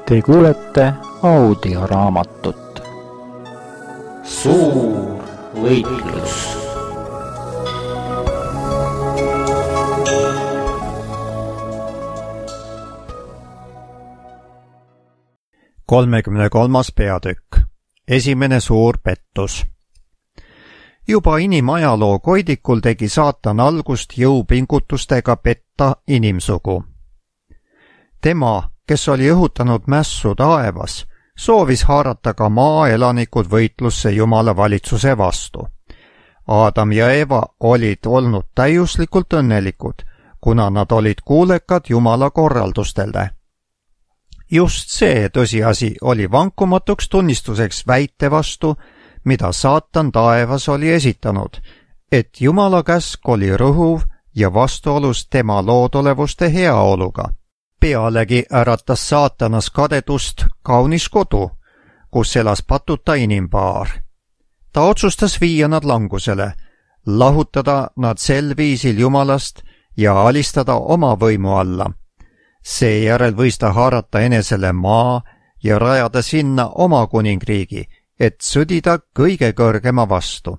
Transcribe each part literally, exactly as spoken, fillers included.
Te kuulete audioraamatut Suur võitlus. kolmekümne kolmas peatükk. Esimene suur pettus. Juba inimajaloo koidikul tegi saatan algust jõupingutustega petta inimsugu. Tema, kes oli õhutanud mässu taevas, soovis haarata ka maaelanikud võitlusse Jumala valitsuse vastu. Aadam ja Eva olid olnud täiuslikult õnnelikud, kuna nad olid kuulekad Jumala korraldustele. Just see tõsiasi oli vankumatuks tunnistuseks väite vastu, mida saatan taevas oli esitanud, et Jumala käsk oli rõhuv ja vastuolus tema loodolevuste heaoluga. Pealegi äratas saatanas kadedust kaunis kodu, kus elas patuta inimpaar. Ta otsustas viia nad langusele, lahutada nad sel viisil Jumalast ja alistada oma võimu alla. Seejärel võis ta haarata enesele maa ja rajada sinna oma kuningriigi, et sõdida kõige kõrgema vastu.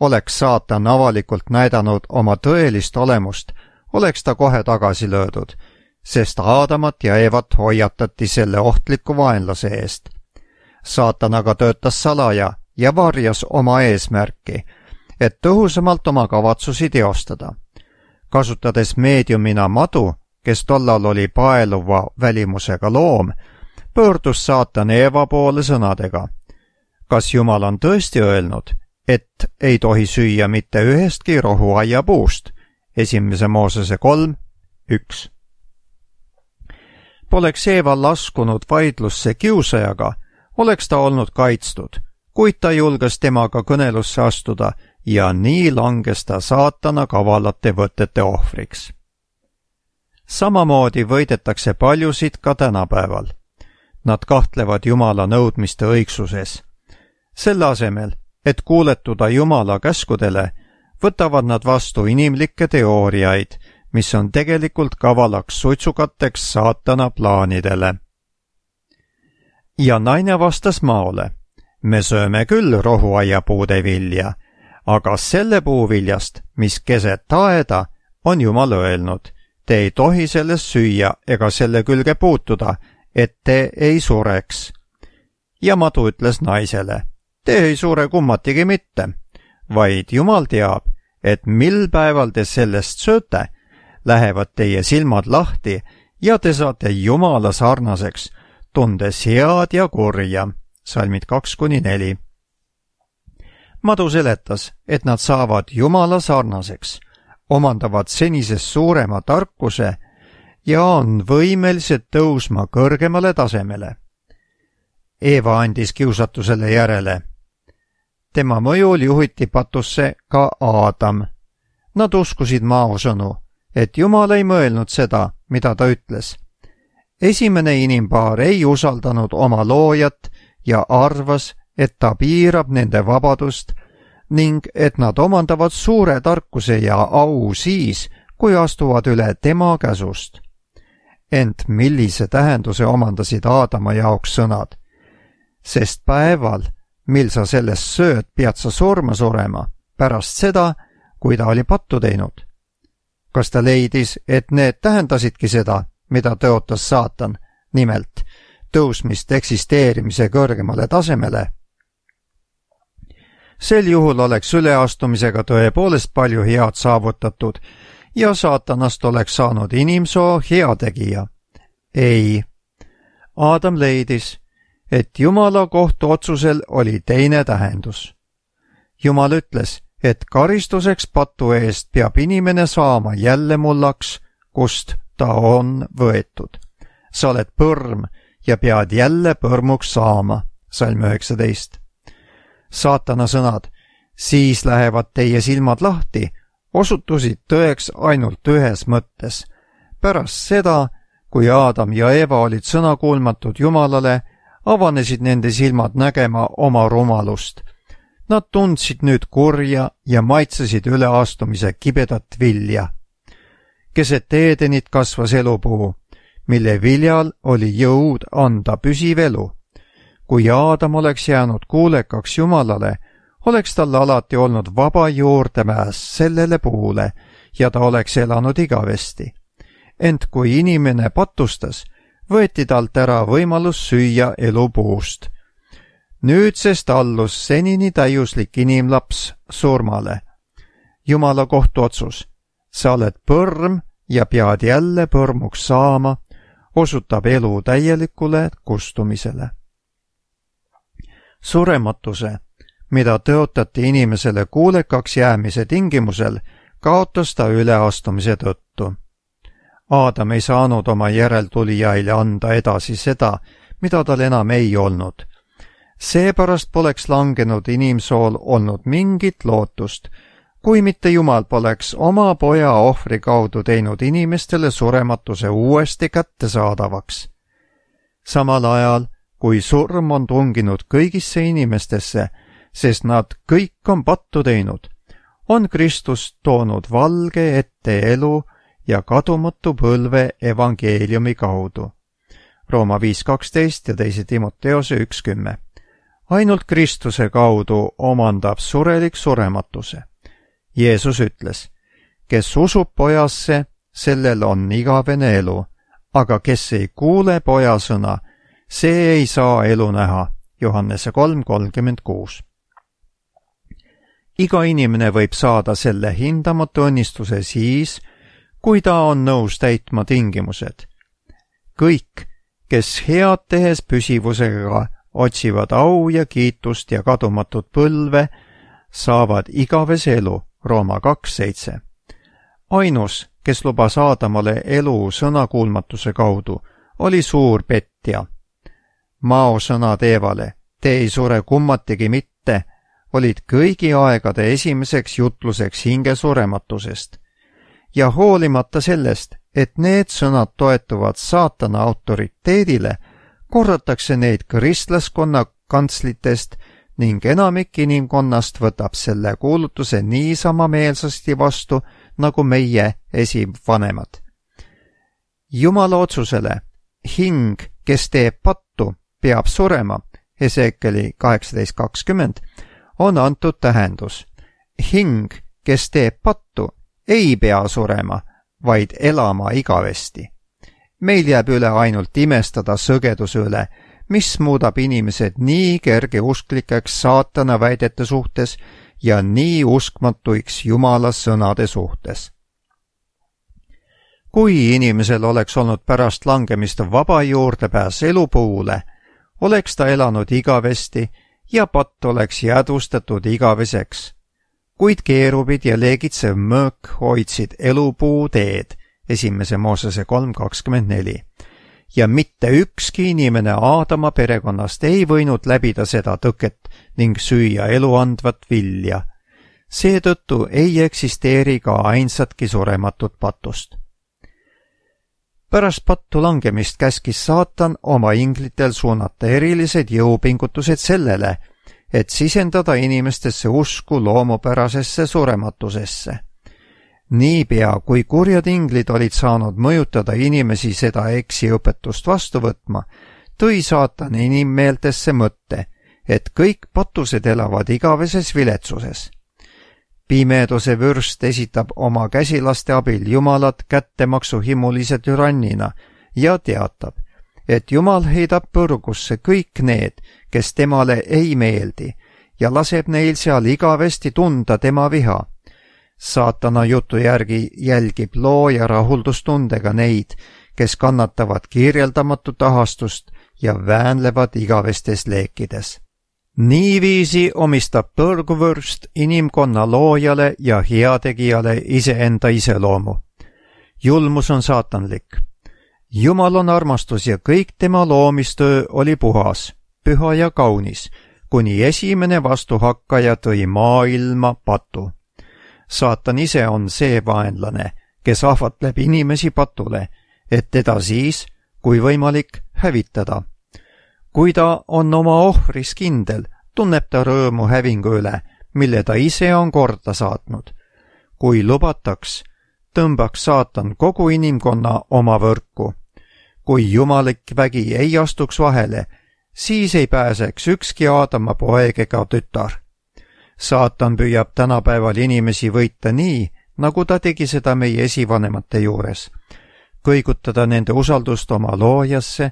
Oleks saatan avalikult näidanud oma tõelist olemust, oleks ta kohe tagasi löödud, sest Aadamat ja Evat hoiatati selle ohtliku vaenlase eest. Saatan aga töötas salaja ja varjas oma eesmärki, et tõhusamalt oma kavatsusi teostada. Kasutades meediumina madu, kes tollal oli paeluva välimusega loom, pöördus saatan Eeva poole sõnadega. Kas Jumal on tõesti öelnud, et ei tohi süüa mitte ühestki rohuaia puust? Esimese Moosese kolm, üks. Poleks Eeva laskunud vaidlusse kiusajaga, oleks ta olnud kaitstud, kuid ta julges temaga kõnelusse astuda ja nii langes ta saatana kavalate võtete ohvriks. Samamoodi võidetakse paljusid ka tänapäeval. Nad kahtlevad Jumala nõudmiste õigsuses. Selle asemel, et kuuletuda Jumala käskudele, võtavad nad vastu inimlikke teooriaid, mis on tegelikult kavalaks suitsukateks saatana plaanidele. Ja naine vastas maole, me sööme küll rohuaiapuude vilja, aga selle puuviljast, mis keset aeda, on Jumal öelnud, te ei tohi sellest süüa ega selle külge puutuda, et te ei sureks. Ja madu ütles naisele, te ei sure kummatigi mitte, vaid Jumal teab, et mil päeval te sellest sööte, lähevad teie silmad lahti ja te saate Jumala sarnaseks, tundes head ja kurja. Salmid kaks kuni neli. Madu seletas, et nad saavad Jumala sarnaseks, omandavad senisest suurema tarkuse ja on võimelised tõusma kõrgemale tasemele. Eeva andis kiusatusele järele. Tema mõjul juhiti patusse ka Aadam. Nad uskusid maosõnu, et Jumal ei mõelnud seda, mida ta ütles. Esimene inimpaar ei usaldanud oma loojat ja arvas, et ta piirab nende vabadust ning et nad omandavad suure tarkuse ja au siis, kui astuvad üle tema käsust. Ent millise tähenduse omandasid Aadama jaoks sõnad? Sest päeval, mil sa sellest sööd, pead sa surma surema, pärast seda, kui ta oli pattu teinud. Kas ta leidis, et need tähendasidki seda, mida tõotas saatan, nimelt tõusmist eksisteerimise kõrgemale tasemele? Sel juhul oleks üleastumisega tõepoolest palju head saavutatud ja saatanast oleks saanud inimsoo heategija. Ei. Aadam leidis, et Jumala kohtuotsusel oli teine tähendus. Jumal ütles, et karistuseks patu eest peab inimene saama jälle mullaks, kust ta on võetud. Sa oled põrm ja pead jälle põrmuks saama. Salm üheksateist. Saatana sõnad, siis lähevad teie silmad lahti, osutusid tõeks ainult ühes mõttes. Pärast seda, kui Aadam ja Eva olid sõnakuulmatud Jumalale, avanesid nende silmad nägema oma rumalust. Nad tundsid nüüd kurja ja maitsesid üleastumise kibedat vilja. Keset Eedenit kasvas elupuu, mille viljal oli jõud anda püsiv elu. kui Aadam oleks jäänud kuulekaks Jumalale, oleks tal alati olnud vaba juurdepääs sellele puule ja ta oleks elanud igavesti. Ent kui inimene patustas, võeti talt ära võimalus süüa elupuust. Nüüdsest allus senini täiuslik inimlaps surmale. Jumala kohtuotsus, sa oled põrm ja pead jälle põrmuks saama, osutab elu täielikule kustumisele. Surematuse, mida tõotati inimesele kuulekaks jäämise tingimusel, kaotas ta üleastumise tõttu. Aadam ei saanud oma järeltulijaile anda edasi seda, mida tal enam ei olnud. Seepärast poleks langenud inimsool olnud mingit lootust, kui mitte Jumal poleks oma poja ohvri kaudu teinud inimestele surematuse uuesti kättesaadavaks. Samal ajal, kui surm on tunginud kõigisse inimestesse, sest nad kõik on pattu teinud, on Kristus toonud valge ette elu ja kadumatu põlve evangeeliumi kaudu. Rooma viis kaksteist ja teise Timoteose üks kümme. Ainult Kristuse kaudu omandab surelik surematuse. Jeesus ütles, kes usub pojasse, sellel on igavene elu, aga kes ei kuule poja sõna, see ei saa elu näha. Johannese kolm kolmkümmend kuus. Iga inimene võib saada selle hindamatu õnnistuse siis, kui ta on nõus täitma tingimused. Kõik, kes head tehes püsivusega otsivad au ja kiitust ja kadumatut põlve, saavad igavese elu. Rooma kaks seitse. Ainus, kes lubas Aadamale elu sõnakuulmatuse kaudu, oli suur petja. Mao sõnad Eevale, te ei sure kummatigi mitte, olid kõigi aegade esimeseks jutluseks hingesurematusest. Ja hoolimata sellest, et need sõnad toetuvad saatana autoriteedile, korratakse neid kristlaskonna kantslitest ning enamik inimkonnast võtab selle kuulutuse niisama meelsasti vastu, nagu meie esivanemad. Jumala otsusele, hing, kes teeb pattu, peab surema, Heseekeli kaheksateist kakskümmend, on antud tähendus. Hing, kes teeb pattu, ei pea surema, vaid elama igavesti. Meil jääb üle ainult imestada sõgeduse üle, mis muudab inimesed nii kergeusklikeks saatana väidete suhtes ja nii uskmatuiks Jumala sõnade suhtes. Kui inimesel oleks olnud pärast langemist vaba juurdepääs elupuule, oleks ta elanud igavesti ja patt oleks jäädvustatud igaveseks. Kuid keerubid ja leegitsev mõõk hoidsid elupuu teed, esimese Moosese kolm kakskümmend neli. Ja mitte ükski inimene Aadama perekonnast ei võinud läbida seda tõket ning süüa eluandvat vilja. Seetõttu ei eksisteeri ka ainsatki surematut patust. Pärast pattu langemist käskis saatan oma inglitel suunata erilised jõupingutused sellele, et sisendada inimestesse usku loomupärasesse surematusesse. Niipea, kui kurjad inglid olid saanud mõjutada inimesi seda eksiõpetust vastu võtma, tõi saatan inimmeeltesse mõtte, et kõik patused elavad igaveses viletsuses. Pimeduse vürst esitab oma käsilaste abil Jumalat kättemaksuhimulise türannina ja teatab, et Jumal heidab põrgusse kõik need, kes temale ei meeldi, ja laseb neil seal igavesti tunda tema viha. Saatana jutu järgi jälgib looja rahuldustundega neid, kes kannatavad kirjeldamatut ahastust ja väänlevad igavestes leekides. Niiviisi omistab põrguvürst inimkonna loojale ja heategijale iseenda iseloomu. Julmus on saatanlik. Jumal on armastus ja kõik tema loomistöö oli puhas, püha ja kaunis, kuni esimene vastuhakkaja tõi maailma patu. Saatan ise on see vaenlane, kes ahvatleb inimesi patule, et teda siis, kui võimalik, hävitada. Kui ta on oma ohvris kindel, tunneb ta rõõmu hävingu üle, mille ta ise on korda saatnud. Kui lubataks, tõmbaks saatan kogu inimkonna oma võrku. kui jumalik vägi ei astuks vahele, siis ei pääseks ükski Aadama poeg ega tütar. Saatan püüab tänapäeval inimesi võita nii, nagu ta tegi seda meie esivanemate juures, kõigutada nende usaldust oma loojasse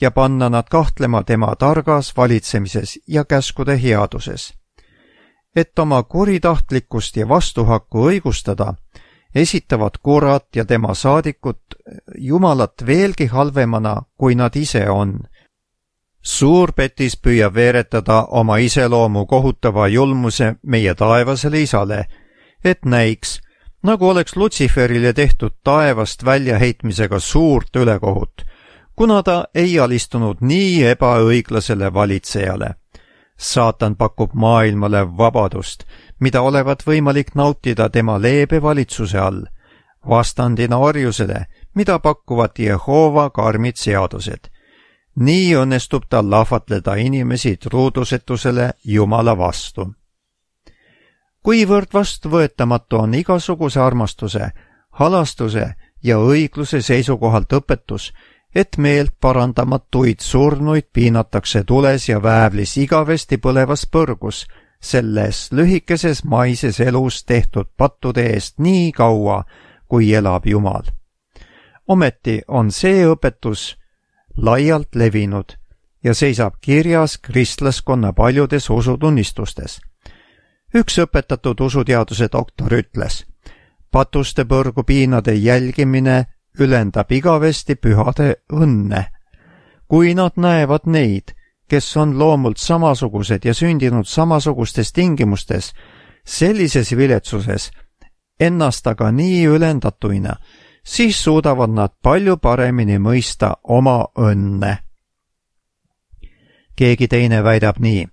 ja panna nad kahtlema tema targas valitsemises ja käskude headuses. Et oma kuritahtlikkust ja vastuhakku õigustada, esitavad kurat ja tema saadikud Jumalat veelgi halvemana, kui nad ise on. Suurpetis püüab veeretada oma iseloomu kohutava julmuse meie taevasele isale, et näiks, nagu oleks Lutsiferile tehtud taevast väljaheitmisega suurt ülekohut, kuna ta ei alistunud nii ebaõiglasele valitsejale. Saatan pakub maailmale vabadust, mida olevat võimalik nautida tema leebe valitsuse all, vastandina orjusele, mida pakuvad Jehova karmid seadused. Nii õnnestub tal lahvatleda inimesi truudusetusele Jumala vastu. Kuivõrd vastuvõetamatu on igasuguse armastuse, halastuse ja õigluse seisukohalt õpetus, et meelt parandamatuid surnuid piinatakse tules ja väävlis igavesti põlevas põrgus, selles lühikeses maises elus tehtud pattude eest nii kaua, kui elab Jumal. Ometi on see õpetus laialt levinud ja seisab kirjas kristlaskonna paljudes usutunnistustes. Üks õpetatud usuteaduse doktor ütles, patuste põrgu piinade jälgimine ülendab igavesti pühade õnne. Kui nad näevad neid, kes on loomult samasugused ja sündinud samasugustes tingimustes, sellises viletsuses, ennast aga nii ülendatuina, siis suudavad nad palju paremini mõista oma õnne. Keegi teine väidab nii,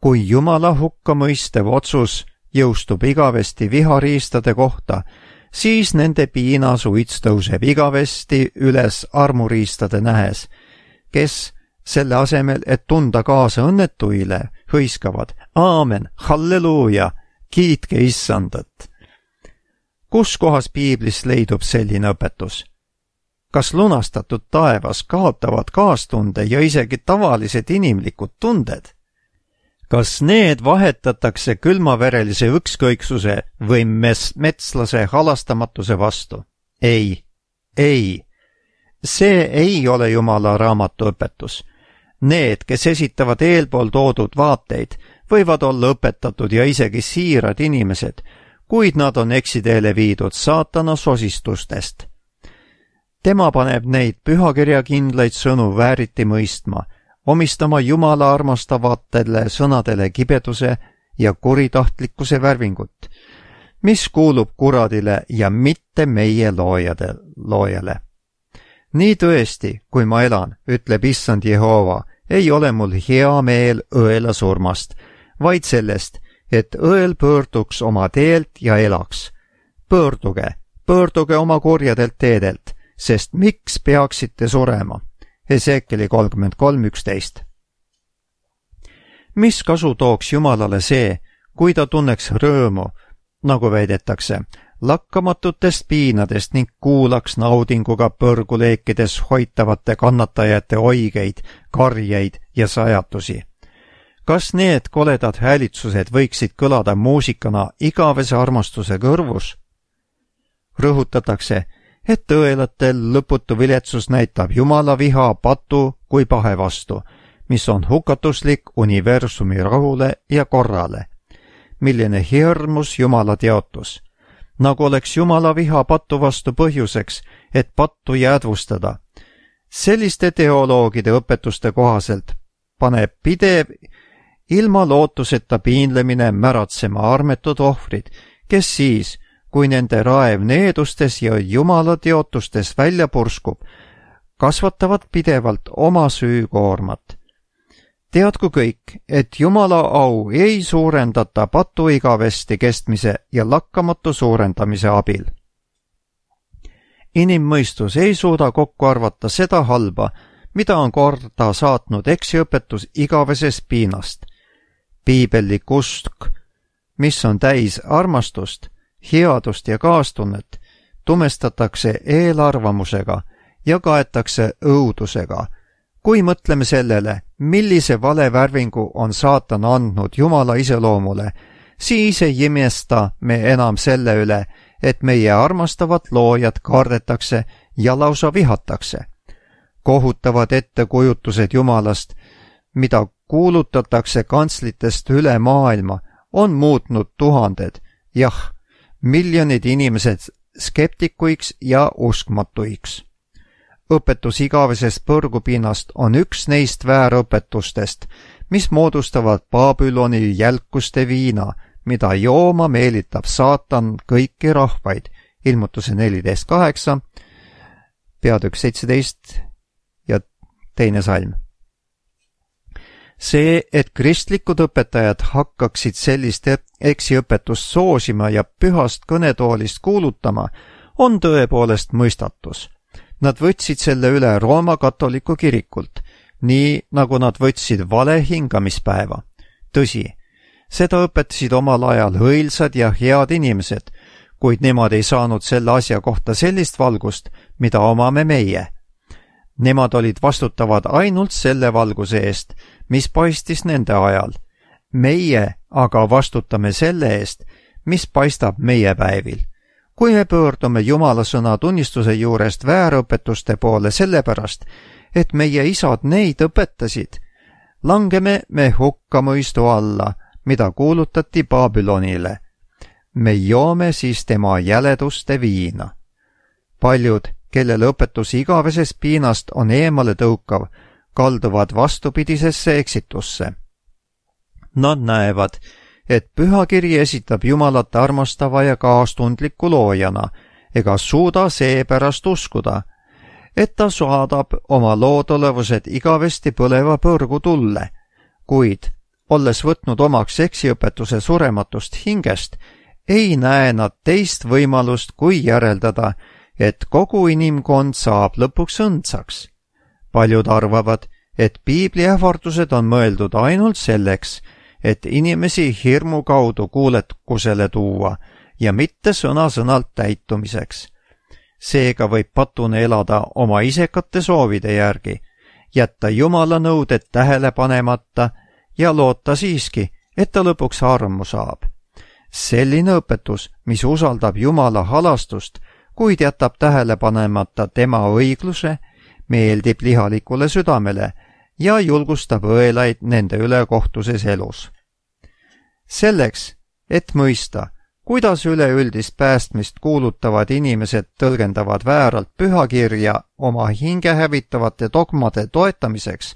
kui Jumala hukkamõistev otsus jõustub igavesti vihariistade kohta, siis nende piinasuits tõuseb igavesti üles armuriistade nähes, kes selle asemel, et tunda kaasa õnnetuile, hõiskavad aamen, halleluuja, kiitke issandat. Kus kohas piiblis leidub selline õpetus? Kas lunastatud taevas kaotavad kaastunde ja isegi tavalised inimlikud tunded? Kas need vahetatakse külmaverelise ükskõiksuse või mes metslase halastamatuse vastu? Ei, ei. See ei ole Jumala raamatu õpetus. Need, kes esitavad eelpool toodud vaateid, võivad olla õpetatud ja isegi siirad inimesed, kuid nad on eksiteele viidud saatana sosistustest. Tema paneb neid pühakirjakindlaid sõnu vääriti mõistma, omistama Jumala armastavatele sõnadele kibeduse ja kuritahtlikkuse värvingut, mis kuulub kuradile ja mitte meie loojade, loojale. Nii tõesti, kui ma elan, ütleb issand Jehova, ei ole mul hea meel õela surmast, vaid sellest, et õel pöörduks oma teelt ja elaks. Pöörduge, pöörduge oma kurjadelt teedelt, sest miks peaksite surema? Hesekieli kolmkümmend kolm üksteist. Mis kasu tooks Jumalale see, kui ta tunneks rõõmu, nagu väidetakse, lakkamatutest piinadest ning kuulaks naudinguga põrguleekides hoitavate kannatajate oigeid, karjeid ja sajatusi? Kas need koledad häälitsused võiksid kõlada muusikana igavese armastuse kõrvus? Rõhutatakse, et õelatel lõputu viletsus näitab Jumala viha patu kui pahe vastu, mis on hukatuslik universumi rahule ja korrale. Milline hirmus Jumala teotus, nagu oleks Jumala viha patu vastu põhjuseks, et pattu jäädvustada. Selliste teoloogide õpetuste kohaselt paneb pidev ilma lootuseta piinlemine märatsema armetud ohvrid, kes siis, kui nende raev needustes ja Jumala teotustes välja purskub, kasvatavad pidevalt oma süükoormat. Teadku kõik, et Jumala au ei suurendata patu igavesti kestmise ja lakkamatu suurendamise abil. Inimmõistus ei suuda kokku arvata seda halba, mida on korda saatnud eksiõpetus igavesest piinast. Piibellik usk, mis on täis armastust, headust ja kaastunnet, tumestatakse eelarvamusega ja kaetakse õudusega. Kui mõtleme sellele, millise valevärvingu on saatan andnud Jumala iseloomule, siis ei imesta me enam selle üle, et meie armastavat loojat kardetakse ja lausa vihatakse. Kohutavad ettekujutused Jumalast, mida kuulutatakse kantslitest üle maailma, on muutnud tuhanded, jah, miljonid inimesed skeptikuiks ja uskmatuiks. Õpetus igavesest põrgupinnast on üks neist väärõpetustest, mis moodustavad Babyloni jälkuste viina, mida jooma meelitab saatan kõiki rahvaid, ilmutuse neliteist kaheksa, peatükk seitseteist ja teine salm. See, et kristlikud õpetajad hakkaksid sellist eksiõpetust soosima ja pühast kõnetoolist kuulutama, on tõepoolest mõistatus. Nad võtsid selle üle Rooma katoliku kirikult, nii nagu nad võtsid vale hingamispäeva. Tõsi, seda õpetasid omal ajal õilsad ja head inimesed, kuid nemad ei saanud selle asja kohta sellist valgust, mida omame meie. Nemad olid vastutavad ainult selle valguse eest, mis paistis nende ajal. Meie aga vastutame selle eest, mis paistab meie päevil. Kui me pöördume Jumala sõna tunnistuse juurest väärõpetuste poole sellepärast, et meie isad neid õpetasid, langeme me hukkamõistu alla, mida kuulutati Babylonile. Me joome siis tema jäleduste viina. Paljud, kellel õpetus igavesest piinast on eemale tõukav, kalduvad vastupidisesse eksitusse. Nad näevad, et pühakiri esitab Jumalat armastava ja kaastundliku loojana, ega suuda seepärast uskuda, et ta saadab oma loodolevused igavesti põleva põrgu tulle, kuid, olles võtnud omaks eksiõpetuse surematust hingest, ei näe nad teist võimalust kui järeldada, et kogu inimkond saab lõpuks õndsaks. Paljud arvavad, et piibli ähvardused on mõeldud ainult selleks, et inimesi hirmu kaudu kuulekusele tuua ja mitte sõna-sõnalt täitumiseks. Seega võib patune elada oma isekate soovide järgi, jätta Jumala nõuded tähele panemata ja loota siiski, et ta lõpuks armu saab. Selline õpetus, mis usaldab Jumala halastust, kuid jätab tähele panemata tema õigluse, meeldib lihalikule südamele ja julgustab õelaid nende ülekohtuses elus. Selleks, et mõista, kuidas üleüldist päästmist kuulutavad inimesed tõlgendavad vääralt pühakirja oma hinge hävitavate dogmade toetamiseks,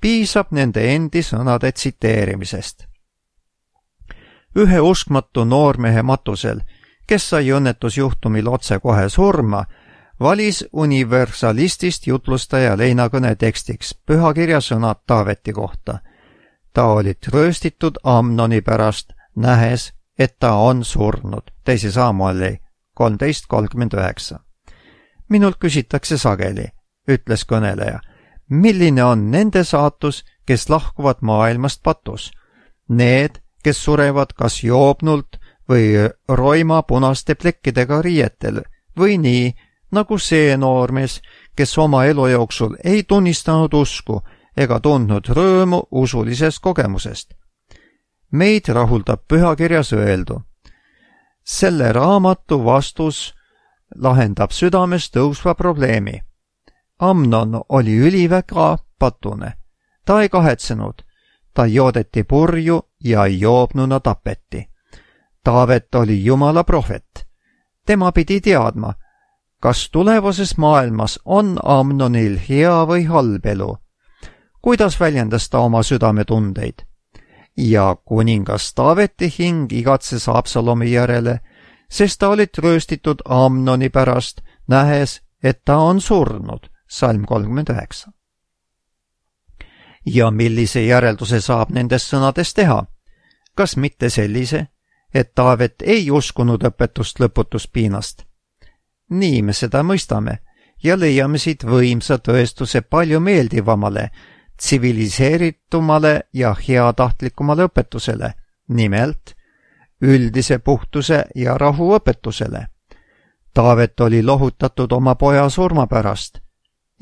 piisab nende endi sõnade tsiteerimisest. Ühe uskmatu noormehe matusel, kes sai õnnetusjuhtumil otsekohe surma, valis universalistist jutlustaja leinakõne tekstiks pühakirja sõnad Taaveti kohta. Ta oli rööstitud Amnoni pärast, nähes, et ta on surnud. Teise Saamueli kolmteist kolmkümmend üheksa. Minult küsitakse sageli, ütles kõneleja, milline on nende saatus, kes lahkuvad maailmast patus? Need, kes surevad kas joobnult või roima punaste plekkidega riietel või nii, nagu see noormees, kes oma elu jooksul ei tunnistanud usku ega tundnud rõõmu usulisest kogemusest. Meid rahuldab pühakirjas öeldu. Selle raamatu vastus lahendab südames tõusva probleemi. Amnon oli üliväga patune. Ta ei kahetsenud. Ta joodeti purju ja joobnuna tapeti. Taavet oli Jumala prohvet. Tema pidi teadma, kas tulevases maailmas on Amnonil hea või halb elu. Kuidas väljendas ta oma südametundeid? Ja kuningas Taaveti hing igatses Absalomi järele, sest ta olid rööstitud Amnoni pärast, nähes, et ta on surnud. Salm kolmkümmend üheksa. Ja millise järelduse saab nendest sõnadest teha? Kas mitte sellise, et Taavet ei uskunud õpetust lõputuspiinast? Nii me seda mõistame ja leiame siit võimsa tõestuse palju meeldivamale, tsiviliseeritumale ja heatahtlikumale õpetusele, nimelt üldise puhtuse ja rahu õpetusele. Taavet oli lohutatud oma poja surma pärast,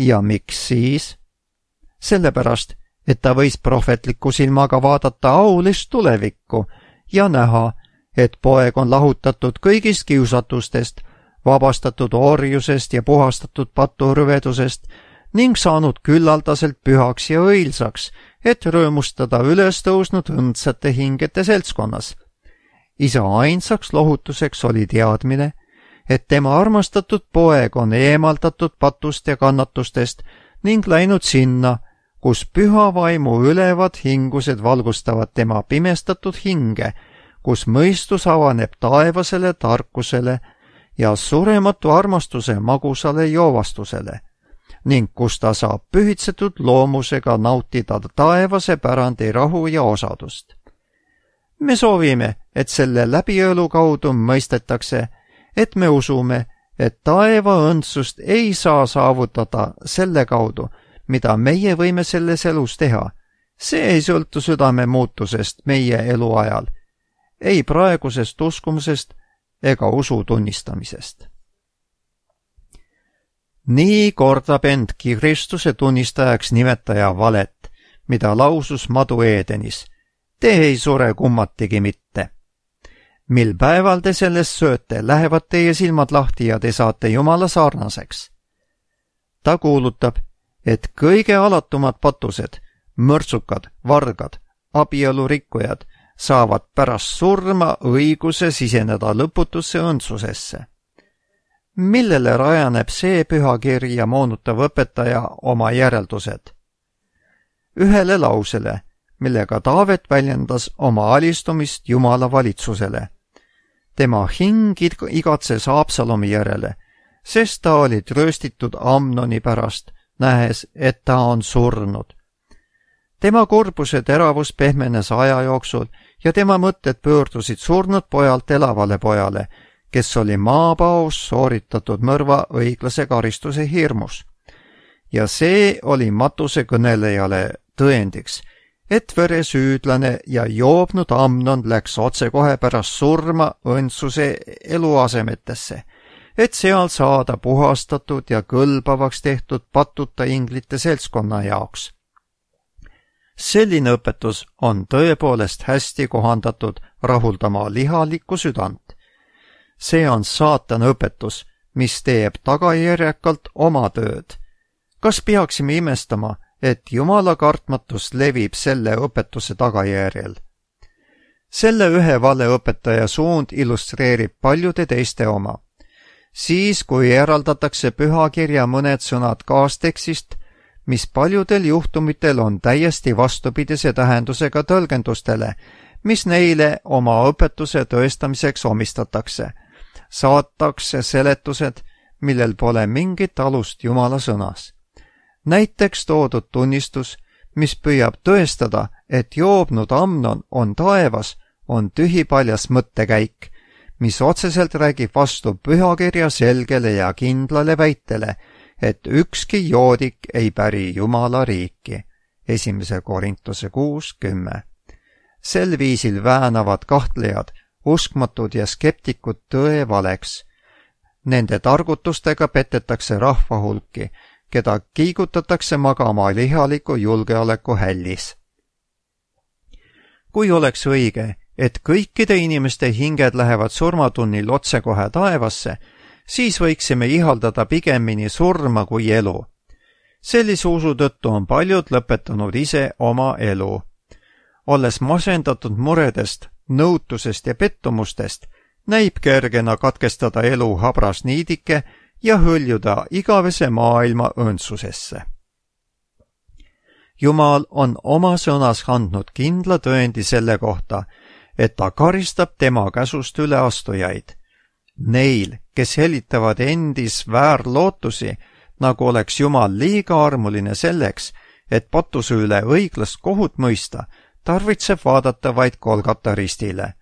ja miks siis? Sellepärast, et ta võis prohvetliku silmaga vaadata aulist tulevikku ja näha, et poeg on lahutatud kõigist kiusatustest, vabastatud orjusest ja puhastatud paturvedusest ning saanud küllaldaselt pühaks ja õilsaks, et rõõmustada üles tõusnud õndsate hingete seltskonnas. Isa ainsaks lohutuseks oli teadmine, et tema armastatud poeg on eemaldatud patust ja kannatustest ning läinud sinna, kus püha vaimu ülevad hingused valgustavad tema pimestatud hinge, kus mõistus avaneb taevasele tarkusele ja surematu armastuse magusale joovastusele ning kus ta saab pühitsetud loomusega nautida taevase pärandi rahu ja osadust. Me soovime, et selle läbiõelu kaudu mõistetakse, et me usume, et taeva õndsust ei saa saavutada selle kaudu, mida meie võime selles elus teha. See ei sõltu südame muutusest meie eluajal, ei praegusest uskumusest ega usu tunnistamisest. Nii kordab endki Kristuse tunnistajaks nimetaja valet, mida lausus Madu Eedenis. Te ei sure kummatigi mitte. Mil päeval te sellest sööte, lähevad teie silmad lahti ja te saate Jumala sarnaseks. Ta kuulutab, et kõige alatumad patused, mõrtsukad, vargad, abielurikkujad saavad pärast surma õiguse siseneda lõputusse õndsusesse. Millele rajaneb see pühakiri ja moonutav õpetaja oma järeldused? Ühele lausele, millega Taavet väljendas oma alistumist Jumala valitsusele. Tema hing igatses Absalomi järele, sest ta oli trööstitud Amnoni pärast, nähes, et ta on surnud. Tema kurbuse teravus pehmenes aja jooksul ja tema mõtted pöördusid surnud pojalt elavale pojale, kes oli maapaos sooritatud mõrva õiglase karistuse hirmus. Ja see oli matuse kõnelejale tõendiks, et veresüüdlane ja joobnud Amnon läks otsekohe pärast surma õndsuse eluasemetesse, et seal saada puhastatud ja kõlbavaks tehtud patuta inglite seltskonna jaoks. Selline õpetus on tõepoolest hästi kohandatud rahuldama lihalikku südant. See on saatana õpetus, mis teeb tagajärjekalt oma tööd. Kas peaksime imestama, et Jumala kartmatus levib selle õpetuse tagajärjel? Selle ühe valeõpetaja suund illustreerib paljude teiste oma. Siis, kui eraldatakse pühakirja mõned sõnad kaastekstist, mis paljudel juhtumitel on täiesti vastupidise tähendusega tõlgendustele, mis neile oma õpetuse tõestamiseks omistatakse, saatakse seletused, millel pole mingit alust Jumala sõnas. Näiteks toodud tunnistus, mis püüab tõestada, et joobnud Amnon on taevas, on tühipaljas mõttekäik, mis otseselt räägib vastu pühakirja selgele ja kindlale väitele, et ükski joodik ei päri Jumala riiki. Esimese Korintuse kuus kümme. Sel viisil väänavad kahtlejad, uskmatud ja skeptikud tõe valeks. Nende targutustega petetakse rahva hulki, keda kiigutatakse magama lihaliku julgeoleku hällis. Kui oleks õige, et kõikide inimeste hinged lähevad surmatunnil otsekohe taevasse, siis võiksime ihaldada pigemini surma kui elu. Sellise usu tõttu on paljud lõpetanud ise oma elu. Olles masendatud muredest, nõutusest ja pettumustest, näib kergena katkestada elu habras niidike ja hõljuda igavese maailma õndsusesse. Jumal on oma sõnas andnud kindla tõendi selle kohta, et ta karistab tema käsust üleastujaid. Neil, kes helitavad endis väärlootusi, nagu oleks Jumal liiga armuline selleks, et patuse üle õiglast kohut mõista, tarvitseb vaadata vaid Golgata ristile.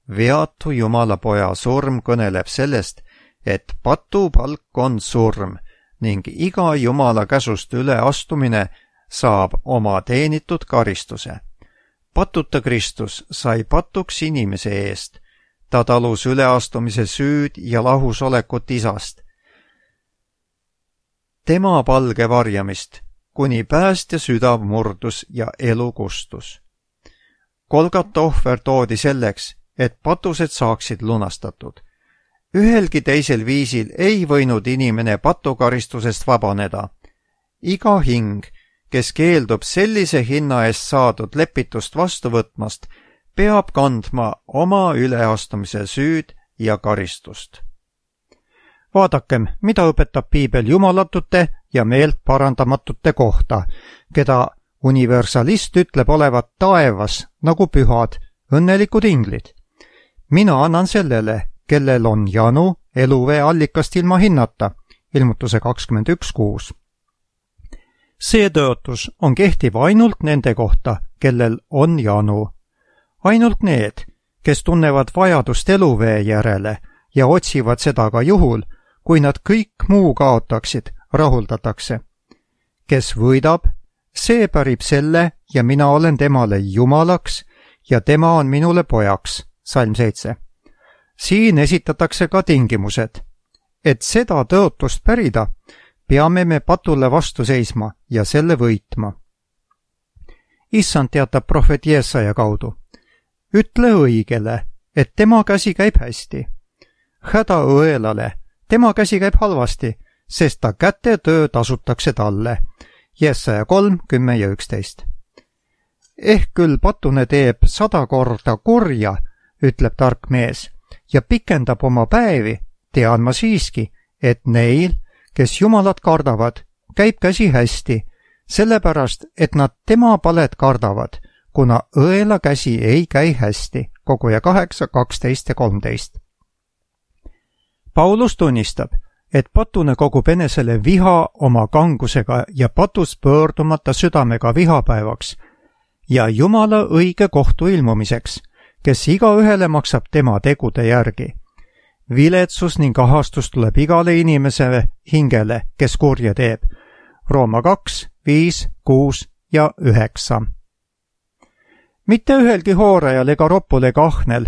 Veatu Jumala poja surm kõneleb sellest, et patupalk on surm ning iga Jumala käsust üleastumine saab oma teenitud karistuse. Patuta Kristus sai patuks inimese eest. Ta talus üleastumise süüd ja lahusolekut isast. tema palge varjamist, kuni päästja südav murdus ja elu kustus. Golgata ohver toodi selleks, et patused saaksid lunastatud. Ühelgi teisel viisil ei võinud inimene patukaristusest vabaneda. Iga hing, kes keeldub sellise hinna eest saadud lepitust vastu võtmast, peab kandma oma üleastumise süüd ja karistust. Vaadakem, mida õpetab piibel jumalatute ja meelt parandamatute kohta, keda universalist ütleb olevat taevas nagu pühad, õnnelikud inglid. Mina annan sellele, kellel on janu eluvee allikast ilma hinnata, ilmutuse kakskümmend üks kuus. See tõotus on kehtiv ainult nende kohta, kellel on janu. Ainult need, kes tunnevad vajadust eluvee järele ja otsivad seda ka juhul, kui nad kõik muu kaotaksid, rahuldatakse. Kes võidab, see pärib selle ja mina olen temale jumalaks ja tema on minule pojaks, salm seitse. Siin esitatakse ka tingimused. Et seda tõotust pärida, peame me patule vastu seisma ja selle võitma. Issand teatab prohvet Jeesaja kaudu. Ütle õigele, et tema käsi käib hästi. Häda õelale, tema käsi käib halvasti, sest ta käte töö tasutakse talle. Jeesaja kolm, kümme ja üksteist. Ehk küll patune teeb sada korda kurja, ütleb tark mees, ja pikendab oma päevi, tean ma siiski, et neil, kes Jumalat kardavad, käib käsi hästi, sellepärast, et nad tema palet kardavad, kuna õela käsi ei käi hästi, koguja kaheksa, kaksteist ja kolmteist. Paulus tunnistab, et patune kogub enesele viha oma kangusega ja patus pöördumata südamega vihapäevaks ja Jumala õige kohtu ilmumiseks, kes igaühele maksab tema tegude järgi. Viletsus ning ahastus tuleb igale inimese hingele, kes kurja teeb. Rooma kaks, viis, kuus ja üheksa. Mitte ühelgi hoorajal ega roppul ega ahnel,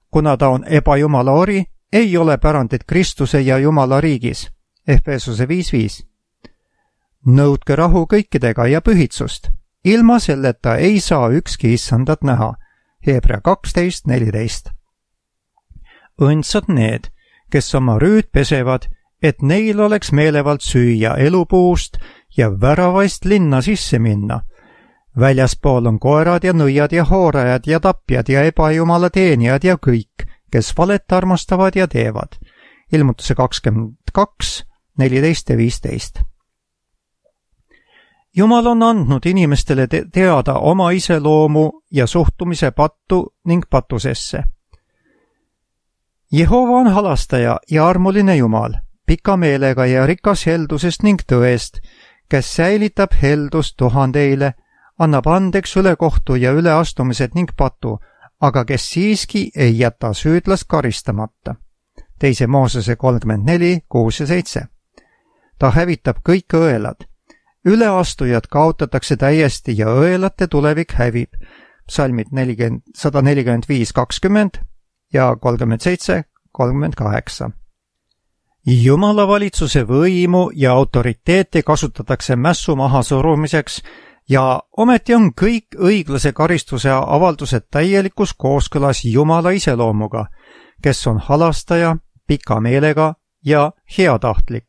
kuna ta on ebajumala ori, ei ole pärandit Kristuse ja Jumala riigis. Efesuse viis viis. Nõudke rahu kõikidega ja pühitsust. Ilma selleta ei saa ükski issandat näha. Hebra kaksteist neliteist. Õndsad need, kes oma rüüd pesevad, et neil oleks meelevald süüa elupuust ja väravaist linna sisse minna. Väljaspool on koerad ja nõiad ja hoorajad ja tapjad ja ebajumala teenijad ja kõik, kes valet armastavad ja teevad. Ilmutuse kakskümmend kaks, neliteist ja viisteist. Jumal on andnud inimestele te teada oma iseloomu ja suhtumise pattu ning patusesse. Jehova on halastaja ja armuline Jumal, pika meelega ja rikas heldusest ning tõest, kes säilitab heldust tuhandeile, annab andeks ülekohtu ja üleastumised ning patu, aga kes siiski ei jäta süüdlast karistamata. Teise Moosese kolmkümmend neli, kuus ja seitse. Ta hävitab kõik õelad. Üleastujad kaotatakse täiesti ja õelate tulevik hävib. Psalmid sada nelikümmend viis kakskümmend ja kolmkümmend seitse kolmkümmend kaheksa. Jumala valitsuse võimu ja autoriteeti kasutatakse mässu mahasurumiseks ja ometi on kõik õiglase karistuse avaldused täielikus kooskõlas Jumala iseloomuga, kes on halastaja, pika meelega ja heatahtlik.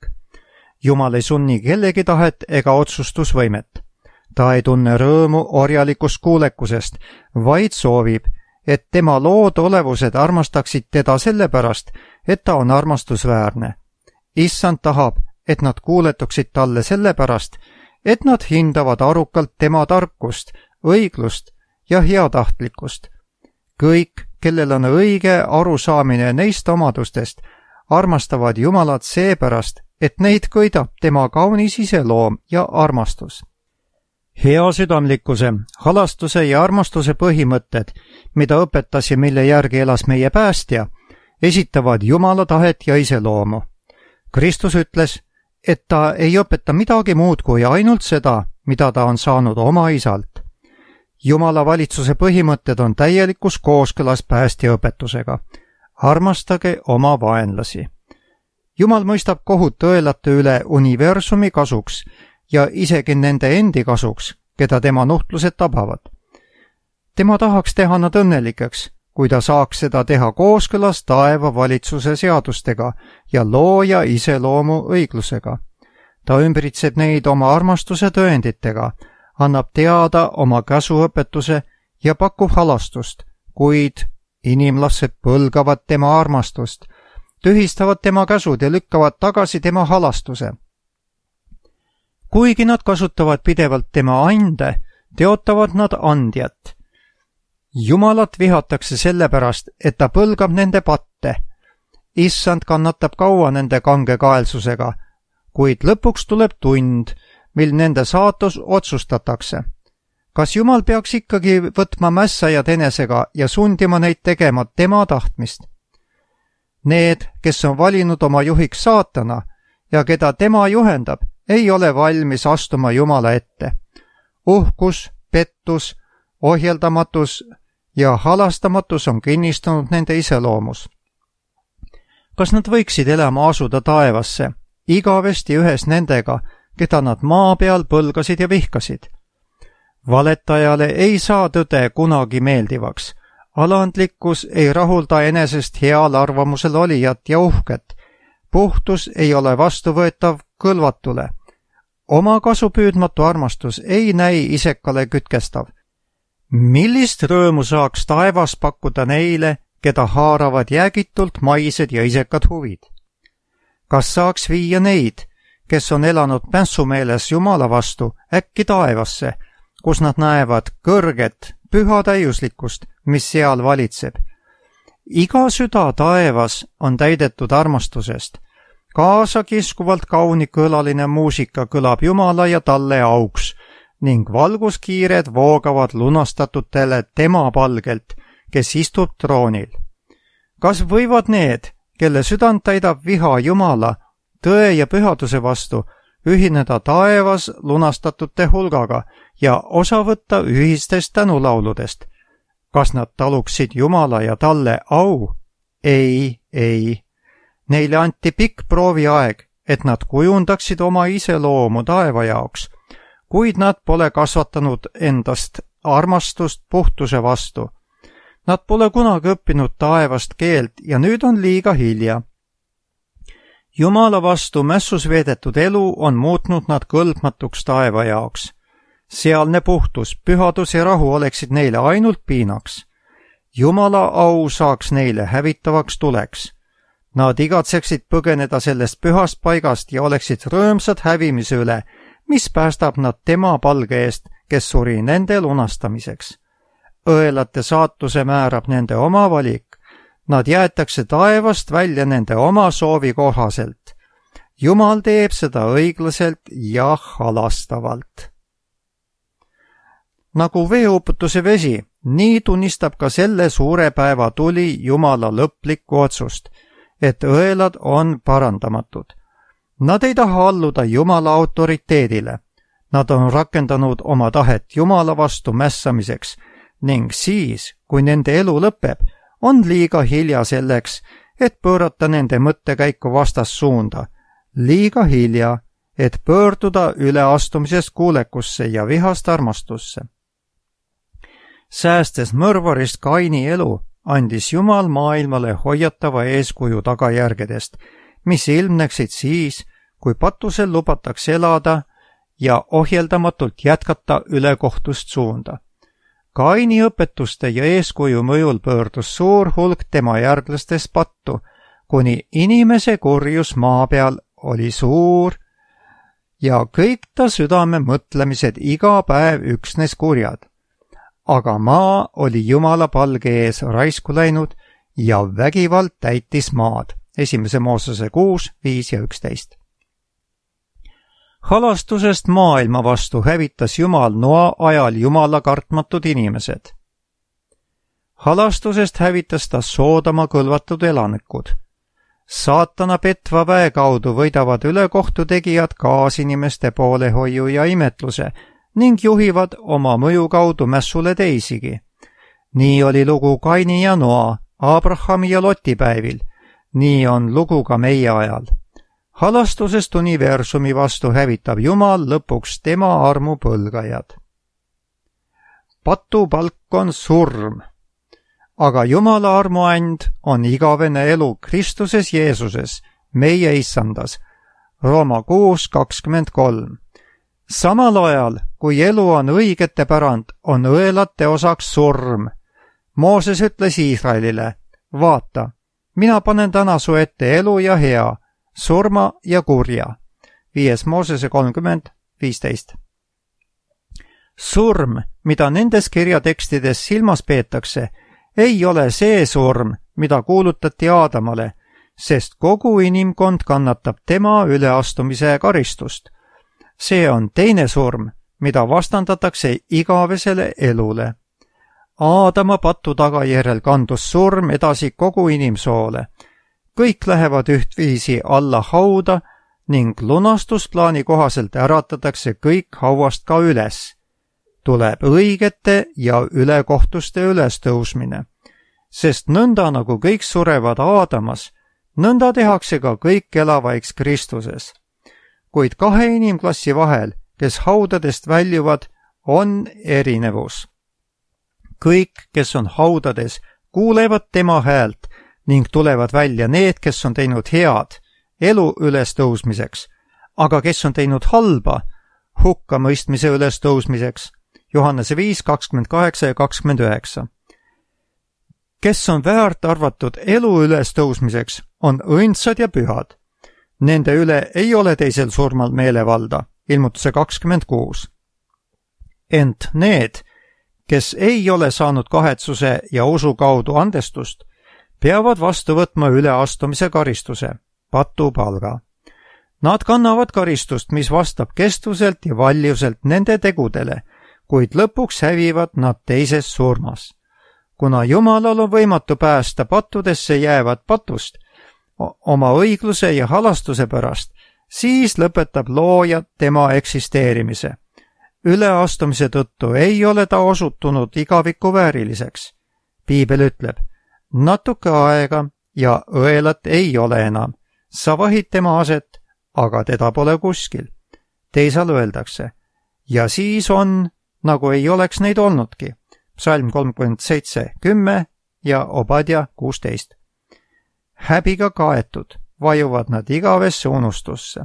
Jumal ei sunni kellegi tahet ega otsustusvõimet. Ta ei tunne rõõmu orjalikust kuulekusest, vaid soovib, et tema lood olevused armastaksid teda sellepärast, et ta on armastusväärne. Issand tahab, et nad kuuletuksid talle sellepärast, et nad hindavad arukalt tema tarkust, õiglust ja heatahtlikkust. Kõik, kellel on õige arusaamine neist omadustest, armastavad Jumalat seepärast, et neid köidab tema kaunis iseloom ja armastus. Heasüdamlikkuse, halastuse ja armastuse põhimõtted, mida õpetas ja mille järgi elas meie päästja, esitavad Jumala tahet ja iseloomu. Kristus ütles, et ta ei õpeta midagi muud kui ainult seda, mida ta on saanud oma isalt. Jumala valitsuse põhimõtted on täielikus kooskõlas päästja õpetusega. Armastage oma vaenlasi. Jumal mõistab kohut õelate üle universumi kasuks ja isegi nende endi kasuks, keda tema nuhtlused tabavad. Tema tahaks teha nad õnnelikeks, kui ta saaks seda teha kooskõlas taeva valitsuse seadustega ja looja iseloomu õiglusega. Ta ümbritseb neid oma armastuse tõenditega, annab teada oma käsuõpetuse ja pakub halastust, kuid inimlased põlgavad tema armastust, tühistavad tema käsud ja lükkavad tagasi tema halastuse. Kuigi nad kasutavad pidevalt tema ande, teotavad nad andjat. Jumalat vihatakse sellepärast, et ta põlgab nende patte. Issand kannatab kaua nende kangekaelsusega, kuid lõpuks tuleb tund, mil nende saatus otsustatakse. Kas Jumal peaks ikkagi võtma mässajad enesega ja sundima neid tegema tema tahtmist? Need, kes on valinud oma juhiks saatana ja keda tema juhendab, ei ole valmis astuma Jumala ette. Uhkus, pettus, ohjeldamatus ja halastamatus on kinnistunud nende iseloomus. Kas nad võiksid elama asuda taevasse, igavesti ühes nendega, keda nad maa peal põlgasid ja vihkasid? Valetajale ei saa tõde kunagi meeldivaks. Alandlikkus ei rahulda enesest heal arvamusel olijat ja uhket. Puhtus ei ole vastuvõetav kõlvatule. Oma kasupüüdmatu armastus ei näi isekale kütkestav. Millist rõõmu saaks taevas pakkuda neile, keda haaravad jäägitult maised ja isekad huvid? Kas saaks viia neid, kes on elanud mässumeeles Jumala vastu, äkki taevasse, kus nad näevad kõrget, püha täiuslikkust, mis seal valitseb? Iga süda taevas on täidetud armastusest. Kaasakiskuvalt kaunikõlaline muusika kõlab Jumala ja talle auks ning valguskiired voogavad lunastatutele tema palgelt, kes istub troonil. Kas võivad need, kelle südant täidab viha Jumala, tõe ja pühaduse vastu, ühineda taevas lunastatute hulgaga ja osa võtta ühistest tänulauludest? Kas nad taluksid Jumala ja talle au? Ei, ei. Neile anti pikk prooviaeg, et nad kujundaksid oma iseloomu taeva jaoks, kuid nad pole kasvatanud endast armastust puhtuse vastu. Nad pole kunagi õppinud taevast keelt ja nüüd on liiga hilja. Jumala vastu mässus veedetud elu on muutnud nad kõlbmatuks taeva jaoks. Sealne puhtus, pühadus ja rahu oleksid neile ainult piinaks. Jumala au saaks neile hävitavaks tuleks. Nad igatseksid põgeneda sellest pühast paigast ja oleksid rõõmsad hävimise üle, mis päästab nad tema palge eest, kes suri nende lunastamiseks. Õelate saatuse määrab nende oma valik. Nad jäetakse taevast välja nende oma soovi kohaselt. Jumal teeb seda õiglaselt ja halastavalt. Nagu veeuputuse vesi, nii tunnistab ka selle suure päeva tuli Jumala lõplikku otsust, et õelad on parandamatud. Nad ei taha alluda Jumala autoriteedile. Nad on rakendanud oma tahet Jumala vastu mässamiseks ning siis, kui nende elu lõpeb, on liiga hilja selleks, et pöörata nende mõttekäiku vastassuunda. Liiga hilja, et pöörduda üleastumisest kuulekusse ja vihast armastusse. Säästes mõrvarist Kaini elu, andis Jumal maailmale hoiatava eeskuju tagajärgedest, mis ilmneksid siis, kui patusel lubatakse elada ja ohjeldamatult jätkata ülekohtust suunda. Kaini õpetuste ja eeskuju mõjul pöördus suur hulk tema järglastest pattu, kuni inimese kurjus maa peal oli suur ja kõik ta südame mõtlemised iga päev üksnes kurjad. Aga maa oli Jumala palge ees raisku läinud ja vägivald täitis maad. Esimese Moosese kuus, viis ja üksteist. Halastusest maailma vastu hävitas Jumal Noa ajal Jumala kartmatud inimesed. Halastusest hävitas ta Soodoma kõlvatud elanikud. Saatana petva väe kaudu võidavad ülekohtu tegijad kaasinimeste poolehoiu ja imetluse ning juhivad oma mõju kaudu mässule teisigi. Nii oli lugu Kaini ja Noa, Abrahami ja Loti päevil. Nii on lugu ka meie ajal. halastusest universumi vastu hävitab Jumal lõpuks tema armu põlgajad. Patupalk on surm, aga Jumala armuand on igavene elu Kristuses Jeesuses, meie issandas. Rooma kuus kakskümmend kolm. Samal ajal, kui elu on õigete pärand, on õelate osaks surm. Mooses ütles Iisraelile, vaata, mina panen täna su ette elu ja hea, surma ja kurja. Viies Moosese kolmkümmend viisteist. Surm, mida nendes kirjatekstides silmas peetakse, ei ole see surm, mida kuulutati Aadamale, sest kogu inimkond kannatab tema üleastumise karistust. See on teine surm, mida vastandatakse igavesele elule. Aadama patu tagajärjel kandus surm edasi kogu inimsoole. Kõik lähevad ühtviisi alla hauda ning lunastusplaani kohaselt äratatakse kõik hauast ka üles. Tuleb õigete ja ülekohtuste ülestõusmine, sest nõnda nagu kõik surevad Aadamas, nõnda tehakse ka kõik elavaiks Kristuses. Kuid kahe inimklassi vahel, kes haudadest väljuvad, on erinevus. Kõik, kes on haudades, kuulevad tema häält ning tulevad välja need, kes on teinud head, elu ülestõusmiseks, aga kes on teinud halba, hukkamõistmise ülestõusmiseks. Johannese viis kakskümmend kaheksa ja kakskümmend üheksa. Kes on väärt arvatud elu ülestõusmiseks, on õndsad ja pühad. Nende üle ei ole teisel surmal meelevalda, ilmutuse kakskümmend kuus. Ent need, kes ei ole saanud kahetsuse ja usu kaudu andestust, peavad vastu võtma üleastumise karistuse, patupalga. Nad kannavad karistust, mis vastab kestvuselt ja valjuselt nende tegudele, kuid lõpuks hävivad nad teises surmas. Kuna Jumalal on võimatu päästa pattudesse jäävad patust oma õigluse ja halastuse pärast, siis lõpetab looja tema eksisteerimise. Üleastumise tõttu ei ole ta osutunud igaviku vääriliseks. Piibel ütleb, natuke aega ja õelat ei ole enam. Sa vahid tema aset, aga teda pole kuskil. Teisal öeldakse, ja siis on, nagu ei oleks neid olnudki. Psalm kolmkümmend seitse kümme ja Obadja kuusteist. Häbiga kaetud, vajuvad nad igavesse unustusse.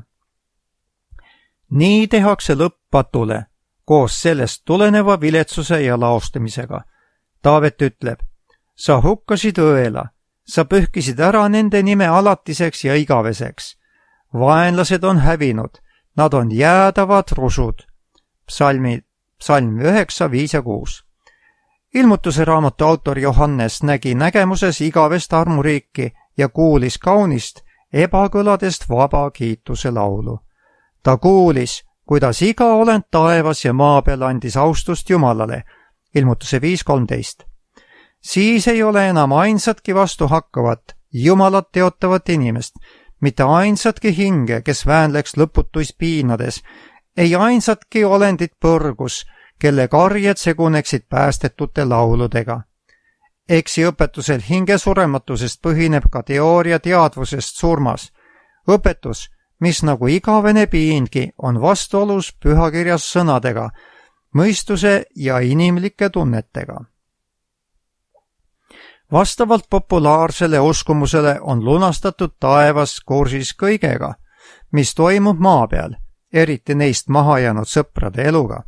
Nii tehakse lõpp patule, koos sellest tuleneva viletsuse ja laostamisega. Taavet ütleb, sa hukkasid õela, sa pühkisid ära nende nime alatiseks ja igaveseks. Vaenlased on hävinud, nad on jäädavad rusud. Psalmi, psalm üheksa, viis ja kuus. Ilmutuse raamatu autor Johannes nägi nägemuses igavest armuriiki ja kuulis kaunist ebakõladest vaba kiituse laulu. Ta kuulis, kuidas iga olend taevas ja maa peal andis austust Jumalale, ilmutuse viis kolmteist. Siis ei ole enam ainsatki vastu hakkavat, Jumalat teotavat inimest, mitte ainsatki hinge, kes väänleks lõputuis piinades, ei ainsatki olendit põrgus, kelle karjed seguneksid päästetute lauludega. Eksiõpetusel hinge surematusest põhineb ka teooria teadvusest surmas. Õpetus, mis nagu igavene piingi, on vastuolus pühakirjas sõnadega, mõistuse ja inimlike tunnetega. Vastavalt populaarsele uskumusele on lunastatud taevas kursis kõigega, mis toimub maa peal, eriti neist maha jäänud sõprade eluga.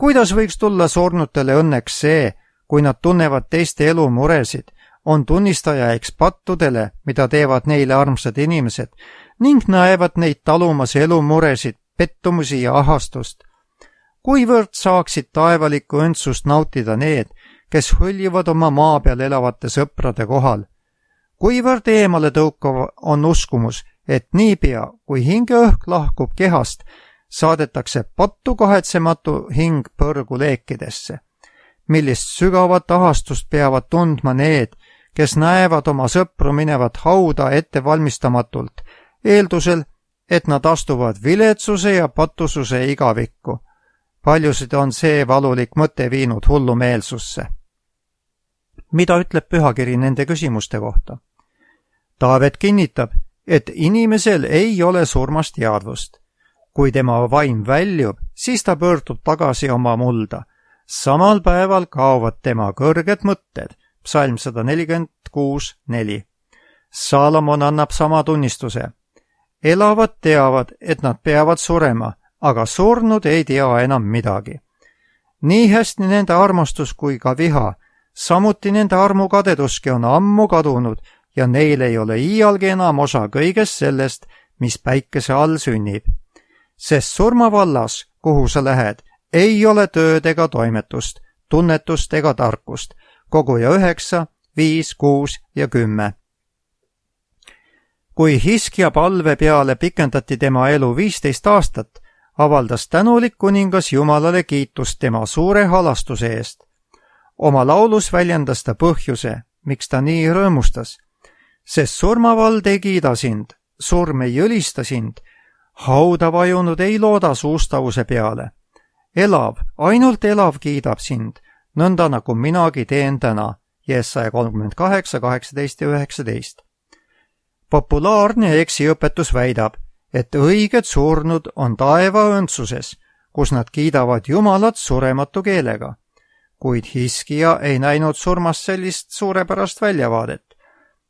Kuidas võiks tulla surnutele õnneks see, kui nad tunnevad teiste elu muresid, on tunnistajaiks pattudele, mida teevad neile armsad inimesed, ning näevad neid talumas elu muresid, pettumusi ja ahastust. Kuivõrd saaksid taevalikku õndsust nautida need, kes hõljuvad oma maa peal elavate sõprade kohal? Kuivõrd eemale tõukav on uskumus, et niipea, kui hingeõhk lahkub kehast, saadetakse pattu kahetsematu hing põrgu leekidesse. Millist sügavat ahastust peavad tundma need, kes näevad oma sõpru minevat hauda ettevalmistamatult, eeldusel, et nad astuvad viletsuse ja patususe igavikku. Paljusid on see valulik mõte viinud hullumeelsusse. Mida ütleb pühakiri nende küsimuste kohta? Taavet kinnitab, et inimesel ei ole surmast teadvust. Kui tema vaim väljub, siis ta pöördub tagasi oma mulda. Samal päeval kaovad tema kõrged mõtted. Psalm sada nelikümmend kuus neli. Saalomon annab sama tunnistuse. Elavad teavad, et nad peavad surema, aga surnud ei tea enam midagi. Nii hästi nende armastus kui ka viha, samuti nende armukadeduski on ammu kadunud ja neil ei ole iialgi enam osa kõigest sellest, mis päikese all sünnib. Sest surmavallas, kuhu sa lähed, ei ole tööd ega toimetust, tunnetust ega tarkust. Koguja üheksa, viis, kuus ja kümme. Kui Hiskja palve peale pikendati tema elu viisteist aastat, avaldas tänulik kuningas Jumalale kiitust tema suure halastuse eest. Oma laulus väljendas ta põhjuse, miks ta nii rõõmustas. Sest surmavald ei kiida sind, surm ei ülista sind, hauda vajunud ei looda suustavuse peale. Elav, ainult elav kiidab sind, nõnda nagu minagi teen täna, Jesaja kolmkümmend kaheksa, kaheksateist ja üheksateist. Populaarne eksiõpetus väidab, et õiged surnud on taeva õndsuses, kus nad kiidavad Jumalat surematu keelega. Kuid Hiskja ei näinud surmast sellist suurepärast väljavaadet.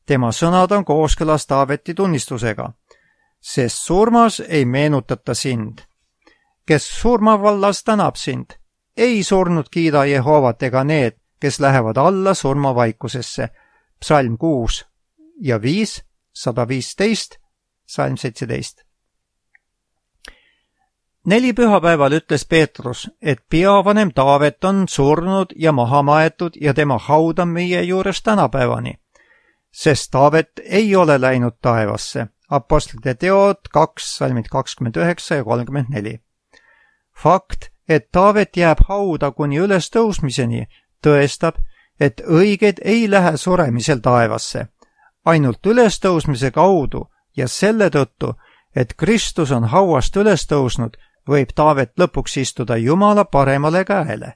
Tema sõnad on kooskõlas Taaveti tunnistusega, sest surmas ei meenutata sind. Kes surmavallas tänab sind, ei surnud kiida Jehovat ega need, kes lähevad alla surmavaikusesse. Psalm kuus ja viis, sada viisteist, Psalm seitseteist. Neli pühapäeval ütles Peetrus, et peavanem Taavet on surnud ja maha maetud ja tema haud on meie juures tänapäevani, sest Taavet ei ole läinud taevasse. Apostlite teod kaks, salmid kakskümmend üheksa ja kolmkümmend neli. Fakt, et Taavet jääb hauda kuni ülestõusmiseni, tõestab, et õiged ei lähe suremisel taevasse. Ainult ülestõusmise kaudu ja selle tõttu, et Kristus on hauast ülestõusnud, võib Taavet lõpuks istuda Jumala paremale käele.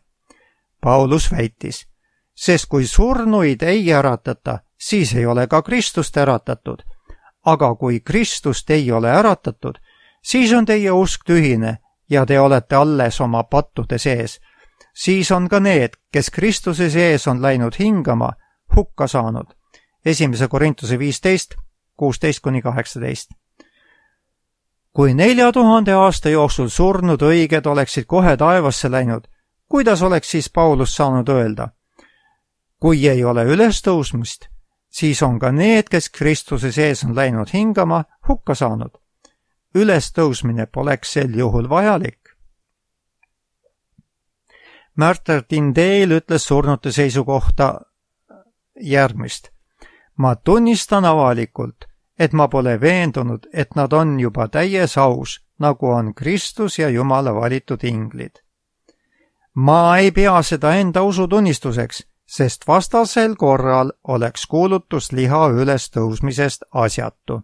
Paulus väitis, sest kui surnuid ei äratata, siis ei ole ka Kristust äratatud. Aga kui Kristust ei ole äratatud, siis on teie usk tühine ja te olete alles oma pattude sees. Siis on ka need, kes Kristuse sees on läinud hingama, hukka saanud. Esimese Korintuse viisteist, kuusteist kuni kaheksateist. Kui nelja tuhande aasta jooksul surnud õiged oleksid kohe taevasse läinud, kuidas oleks siis Paulus saanud öelda? Kui ei ole ülestõusmist, siis on ka need, kes Kristuse sees on läinud hingama, hukka saanud. Ülestõusmine poleks sel juhul vajalik. Martin Tyndale ütles surnute seisukohta järgmist. Ma tunnistan avalikult, et ma pole veendunud, et nad on juba täies aus, nagu on Kristus ja Jumala valitud inglid. Ma ei pea seda enda usutunnistuseks, sest vastasel korral oleks kuulutus liha ülestõusmisest asjatu.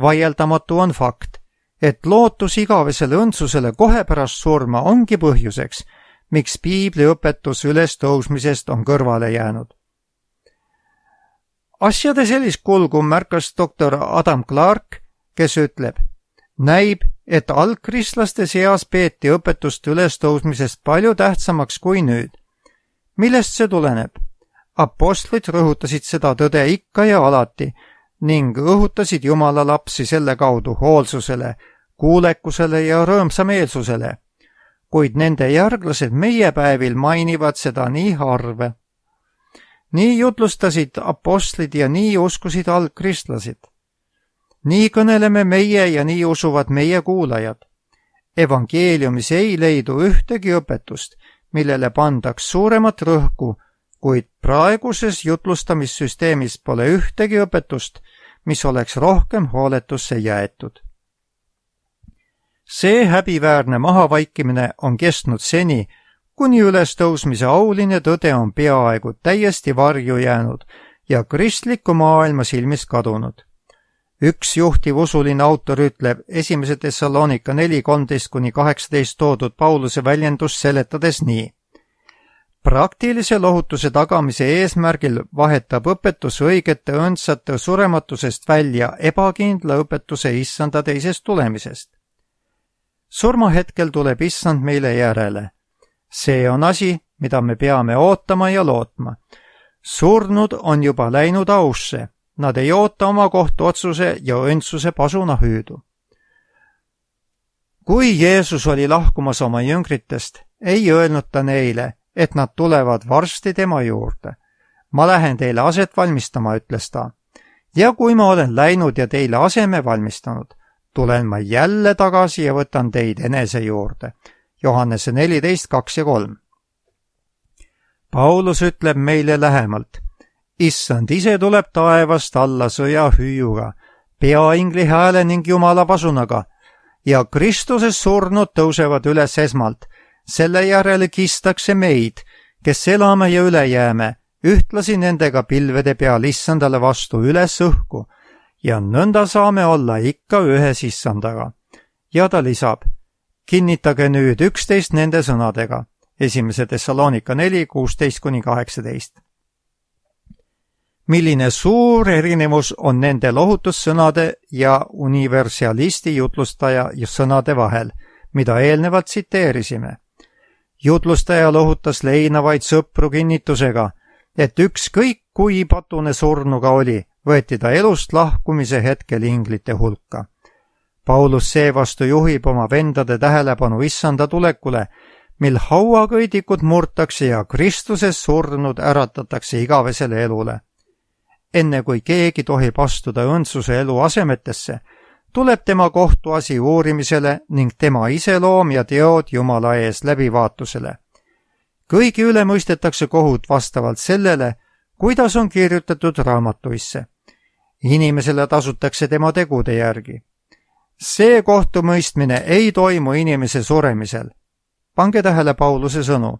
Vaieldamatu on fakt, et lootus igavesele õndsusele kohe pärast surma ongi põhjuseks, miks piibli õpetus ülestõusmisest on kõrvale jäänud. Asjade sellist kulgu märkas doktor Adam Clark, kes ütleb, näib, et algkristlaste seas peeti õpetust ülestõusmisest palju tähtsamaks kui nüüd. Millest see tuleneb? Apostlid rõhutasid seda tõde ikka ja alati ning õhutasid Jumala lapsi selle kaudu hoolsusele, kuulekusele ja rõõmsameelsusele, kuid nende järglased meie päevil mainivad seda nii harve. Nii jutlustasid apostlid ja nii uskusid algkristlased. Nii kõneleme meie ja nii usuvad meie kuulajad. Evangeeliumis ei leidu ühtegi õpetust, millele pandaks suuremat rõhku, kuid praeguses jutlustamissüsteemis pole ühtegi õpetust, mis oleks rohkem hooletusse jäetud. See häbiväärne mahavaikimine on kestnud seni, kuni ülestõusmise auline tõde on peaaegu täiesti varju jäänud ja kristliku maailma silmist kadunud. Üks juhtiv usuline autor ütleb esimese Thessalonika neli kolmteist kuni kaheksateist toodud Pauluse väljendust seletades nii. praktilise lohutuse tagamise eesmärgil vahetab õpetus õigete õndsate surematusest välja ebakindla õpetuse issanda teisest tulemisest. Surmahetkel tuleb issand meile järele. See on asi, mida me peame ootama ja lootma. Surnud on juba läinud ausse, nad ei oota oma kohtuotsuse ja õndsuse pasuna hüüdu. Kui Jeesus oli lahkumas oma jüngritest, ei öelnud ta neile, et nad tulevad varsti tema juurde. Ma lähen teile aset valmistama, ütles ta. Ja kui ma olen läinud ja teile aseme valmistanud, tulen ma jälle tagasi ja võtan teid enese juurde. Johannese neliteist, kaks ja kolm. Paulus ütleb meile lähemalt. Issand ise tuleb taevast alla sõja hüüuga, peaingli hääle ning Jumala pasunaga, ja Kristuses surnud tõusevad üles esmalt. Selle järele kistakse meid, kes elame ja üle jääme, ühtlasi nendega pilvede peal issandale vastu üles õhku, ja nõnda saame olla ikka ühes issandaga. Ja ta lisab, kinnitage nüüd üksteist nende sõnadega, esimese Thessalonika neli, kuusteist kuni kaheksateist. Milline suur erinevus on nende lohutussõnade ja universalisti jutlustaja sõnade vahel, mida eelnevalt tsiteerisime. Jutlustaja lohutas leinavaid sõpru kinnitusega, et ükskõik kui patune surnuga oli, võeti ta elust lahkumise hetkel inglite hulka. Paulus seevastu juhib oma vendade tähelepanu issanda tulekule, mil hauakõidikud murtakse ja Kristuses surnud äratatakse igavesele elule. Enne kui keegi tohib astuda õndsuse elu asemetesse, tuleb tema kohtuasi uurimisele ning tema iseloom ja teod Jumala ees läbivaatusele. Kõigi üle mõistetakse kohut vastavalt sellele, kuidas on kirjutatud raamatuisse. Inimesele tasutakse tema tegude järgi. See kohtumõistmine ei toimu inimese suremisel. Pange tähele Pauluse sõnu.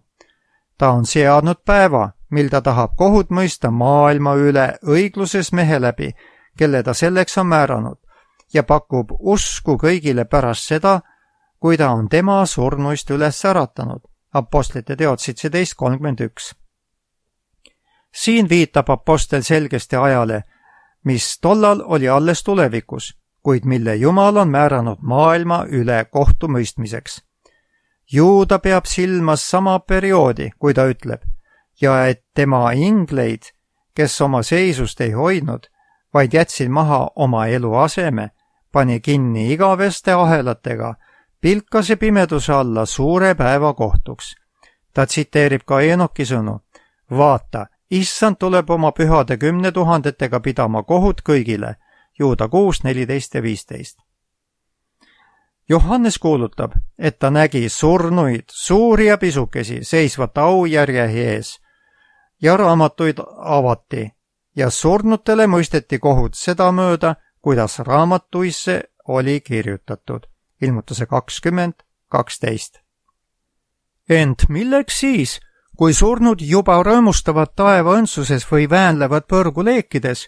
Ta on seadnud päeva, mil ta tahab kohut mõista maailma üle õigluses mehe läbi, kelle ta selleks on määranud, ja pakub usku kõigile pärast seda, kui ta on tema surnuist üles äratanud. Apostlite teod seitseteist kolmkümmend üks. Siin viitab apostel selgesti ajale, mis tollal oli alles tulevikus, kuid mille Jumal on määranud maailma üle kohtumõistmiseks. Juuda peab silmas sama perioodi, kui ta ütleb, ja et tema ingleid, kes oma seisust ei hoidnud, vaid jätsid maha oma elu aseme, pani kinni igaveste ahelatega, pilkase pimeduse alla suure päeva kohtuks. Ta tsiteerib ka Enoki sõnu. Vaata, issand tuleb oma pühade kümne tuhandetega pidama kohut kõigile. Juuda kuus, neliteist ja viisteist. Johannes kuulutab, et ta nägi surnuid, suuri ja pisukesi, seisvat aujärje ees, ja raamatuid avati, ja surnutele mõisteti kohut sedamööda, kuidas raamatuisse oli kirjutatud. Ilmutuse kakskümmend, kaksteist. Ent milleks siis, kui surnud juba rõõmustavad taeva õndsuses või väänlevad põrguleekides,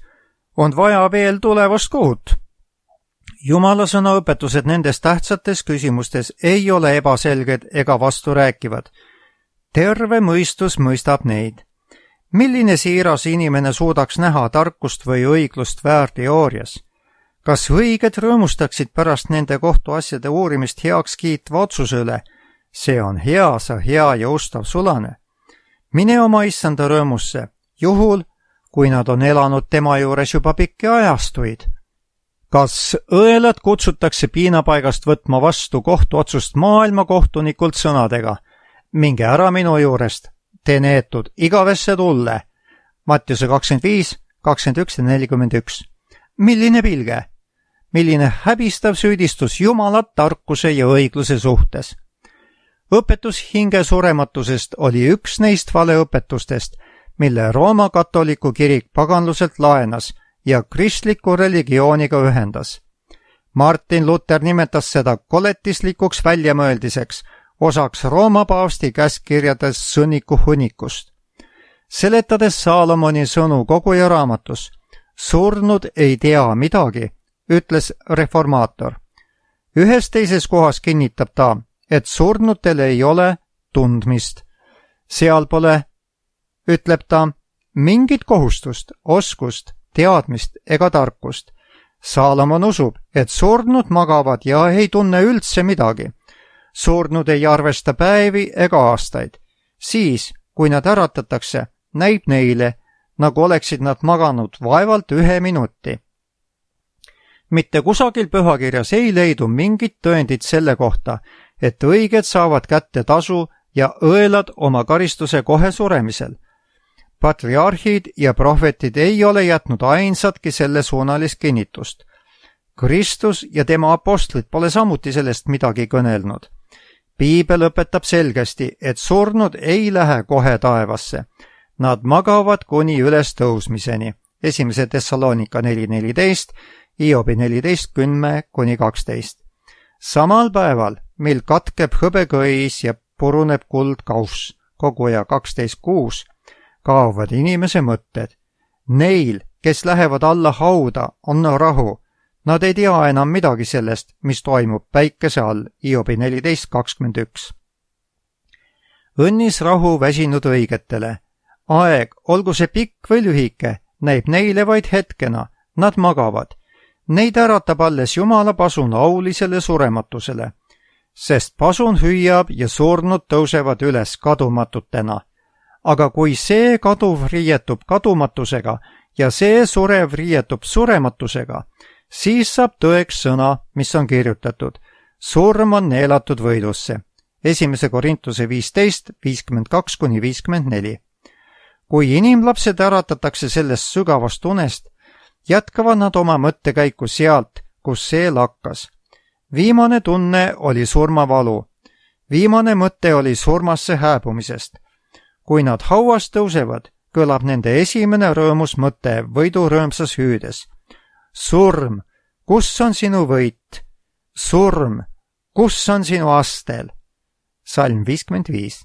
on vaja veel tulevast kohut? Jumala sõna õpetused nendes tähtsates küsimustes ei ole ebaselged ega vasturääkivad. Terve mõistus mõistab neid. Milline siiras inimene suudaks näha tarkust või õiglust väärteoorias? Kas õiged rõõmustaksid pärast nende kohtuasjade uurimist heaks kiitva otsuse üle? See on hea, sa hea ja ustav sulane. Mine oma issanda rõõmusse, juhul, kui nad on elanud tema juures juba pikki ajastuid. Kas õelad kutsutakse piinapaigast võtma vastu kohtuotsust maailmakohtunikult sõnadega? Minge ära minu juurest, te neetud igavesse tulle. Mattiuse kakskümmend viis, kakskümmend üks ja nelikümmend üks. Milline pilge? Milline häbistav süüdistus Jumala tarkuse ja õigluse suhtes? Õpetus hinge surematusest oli üks neist valeõpetustest, mille Rooma katoliku kirik paganluselt laenas ja kristliku religiooniga ühendas. Martin Luther nimetas seda koletislikuks väljamõeldiseks, osaks Rooma paavsti käskkirjades sõnniku hunnikust. Seletades Saalomoni sõnu koguja raamatus, surnud ei tea midagi, ütles reformaator. Ühes teises kohas kinnitab ta, et surnutel ei ole tundmist. seal pole, ütleb ta, mingit kohustust, oskust, teadmist ega tarkust. Saalomon usub, et surnud magavad ja ei tunne üldse midagi. Surnud ei arvesta päevi ega aastaid. Siis, kui nad äratatakse, näib neile, nagu oleksid nad maganud vaevalt ühe minuti. Mitte kusagil pühakirjas ei leidu mingit tõendit selle kohta, et õiged saavad kätte tasu ja õelad oma karistuse kohe suremisel. Patriarhid ja prohvetid ei ole jätnud ainsatki selle suunalist kinnitust. Kristus ja tema apostlid pole samuti sellest midagi kõnelnud. Piibel õpetab selgesti, et surnud ei lähe kohe taevasse. Nad magavad kuni üles tõusmiseni. Esimese Thessalonika neli neliteist, Hiobi neliteist kümme kuni kaksteist. Samal päeval, mil katkeb hõbekõis ja puruneb kuldkauss, koguja kaksteist kuus, kaovad inimese mõtted. Neil, kes lähevad alla hauda, on rahu. Nad ei tea enam midagi sellest, mis toimub päikese all, Hiobi neliteist kakskümmend üks. Õnnis rahu väsinud õigetele. Aeg, olgu see pikk või lühike, näib neile vaid hetkena, nad magavad. Neid äratab alles Jumala pasun aulisele surematusele, sest pasun hüüab ja surnud tõusevad üles kadumatutena. Aga kui see kaduv riietub kadumatusega ja see surev riietub surematusega, siis saab tõeks sõna, mis on kirjutatud. Surm on neelatud võidusse. Esimese Korintuse viisteist, viiskümmend kaks kuni viiskümmend neli. Kui inimlapsed äratatakse sellest sügavast unest, jätkavad nad oma mõttekäiku sealt, kus see lakkas. Viimane tunne oli surmavalu. Viimane mõte oli surmasse hääbumisest. Kui nad hauast tõusevad, kõlab nende esimene rõõmus mõte võidurõõmsas hüüdes. Surm, kus on sinu võit? Surm, kus on sinu astel? Salm viiskümmend viis.